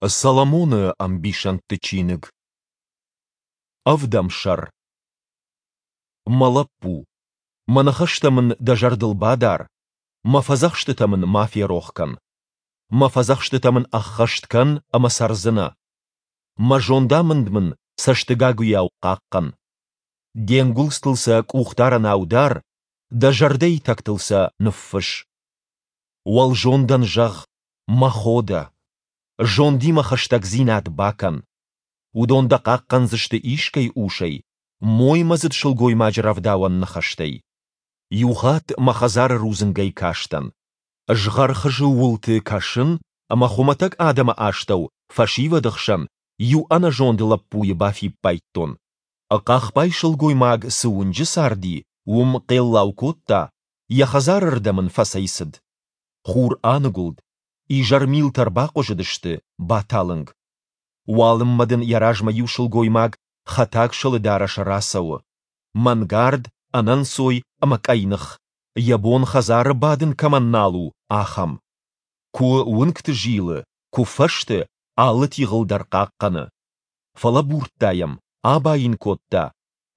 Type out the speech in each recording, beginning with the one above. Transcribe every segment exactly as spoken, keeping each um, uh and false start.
Соломоны ӕмбисӕндты чиныг. Ӕвдӕм сӕр. Мӕ лӕппу, мӕ ныхӕстӕ мын дӕ зӕрдыл бадар, мӕ фӕдзӕхстытӕ мын ма ферох кӕн. Мӕ фӕдзӕхстытӕ мын ӕххӕст кӕн ӕмӕ цӕрдзынӕ. Мӕ зондамынд мын цӕстыгагуыйау хъахъхъӕн. Де нгуылдзтыл сӕ къухдарӕнау дар, дӕ зӕрдӕйы тӕгтыл сӕ ныффысс. Уӕлзондӕн зӕгъ: Мӕ хо дӕ. Зондимӕ хӕстӕгдзинад бакӕн. Уыдон дӕ хъахъхъӕндзысты искӕй усӕй, моймӕдзыд сылгоймаджы рӕвдауӕн ныхӕстӕй. Иухатт мӕ хӕдзары рудзынгӕй кастӕн. Згъӕрхызы уылты кӕсын, ӕмӕ хуымӕтӕг адӕмы астӕу, фӕсивӕды хсӕн, иу ӕнӕзонд лӕппуйы бафиппайдтон. Хъахбай сылгоймаг цы уынджы царди, уым хъеллау кодта, йӕ хӕдзары рдӕм ын фӕцӕйцыд. Хур аныгуылд, изӕрмилтӕ рбахъуызыдысты, баталынг. Уалынмӕ дын йӕ размӕ иу сылгоймаг хӕтаг сылы дарӕсы рацӕуы. Мӕнгард, ӕнӕнцой ӕмӕ къӕйных, йӕ бон хӕдзары бадын кӕмӕн нал у, ахӕм. Куы уынгты зилы, куы фӕзты, алы тигъыл дӕр хъахъхъӕны. Фӕлӕбурдта йӕм, аба йын кодта,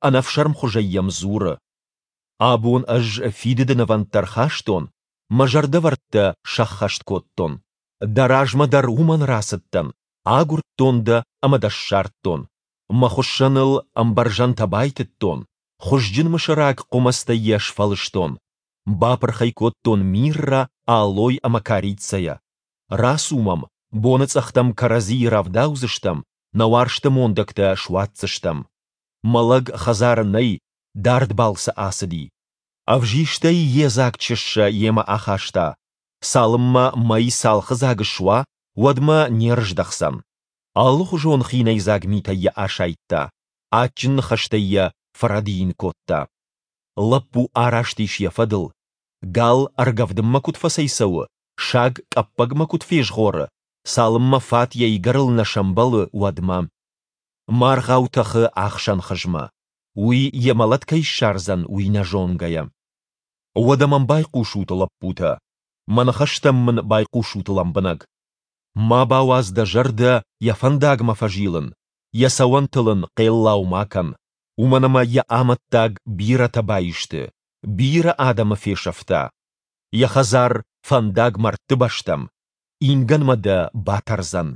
ӕнӕфсӕрмхуызӕй йӕм дзуры: Абон ӕз фидыды нывӕндтӕ рхастон, мӕ зӕрдӕвӕрдтӕ сӕххӕст кодтон. Дӕ размӕ дӕр уымӕн рацыдтӕн, агуырдтон дӕ ӕмӕ дӕ ссардтон. Мӕ хуыссӕныл ӕмбӕрзӕнтӕ байтыдтон, хуызджын мысыраг хъуымӕцтӕй йӕ сфӕлыстон. Бапырх ӕй кодтон миррӕ, алой ӕмӕ корицӕйӕ. Рацу мӕм, боныцъӕхтӕм кӕрӕдзийы рӕвдаудзыстӕм, нӕ уарзты мондӕгтӕ суадздзыстӕм. Мӕ лӕг хӕдзары нӕй, дард балцы ацыди. Ӕвзистӕй йедзаг чыссӕ йемӕ ахаста, цалынмӕ мӕй цалхыдзаг суа, уӕдмӕ не рыздӕхдзӕн. Алыхуызон хинӕйдзаг митӕй йӕ асайдта, адджын ныхӕстӕй йӕ фӕрӕдийын кодта. Лӕппу араст ис йӕ фӕдыл, гал ӕргӕвдынмӕ куыд фӕцӕйцӕуы, саг къӕппӕгмӕ куыд фезгъоры, цалынмӕ фат йӕ игӕрыл нӕ сӕмбӕлы, уӕдмӕ. Маргъау тӕхы ахсӕн хызмӕ, уый йӕ мӕлӕт кӕй ссардзӕн, уый нӕ зонгӕйӕ. Уӕдӕ мӕм байхъусут, лӕппутӕ, мӕ ныхӕстӕм мын байхъусут лӕмбынӕг. Ма бауадз дӕ зӕрдӕ йӕ фӕндагмӕ фӕзилын, йӕ цӕуӕнтыл ын хъеллау ма кӕн, уымӕн ӕмӕ йӕ амӕттаг бирӕтӕ баисты, бирӕ адӕмы фесӕфта. Йӕ хӕдзар фӕндаг мӕрдты бӕстӕм, ингӕнмӕ дӕ батӕрдзӕн.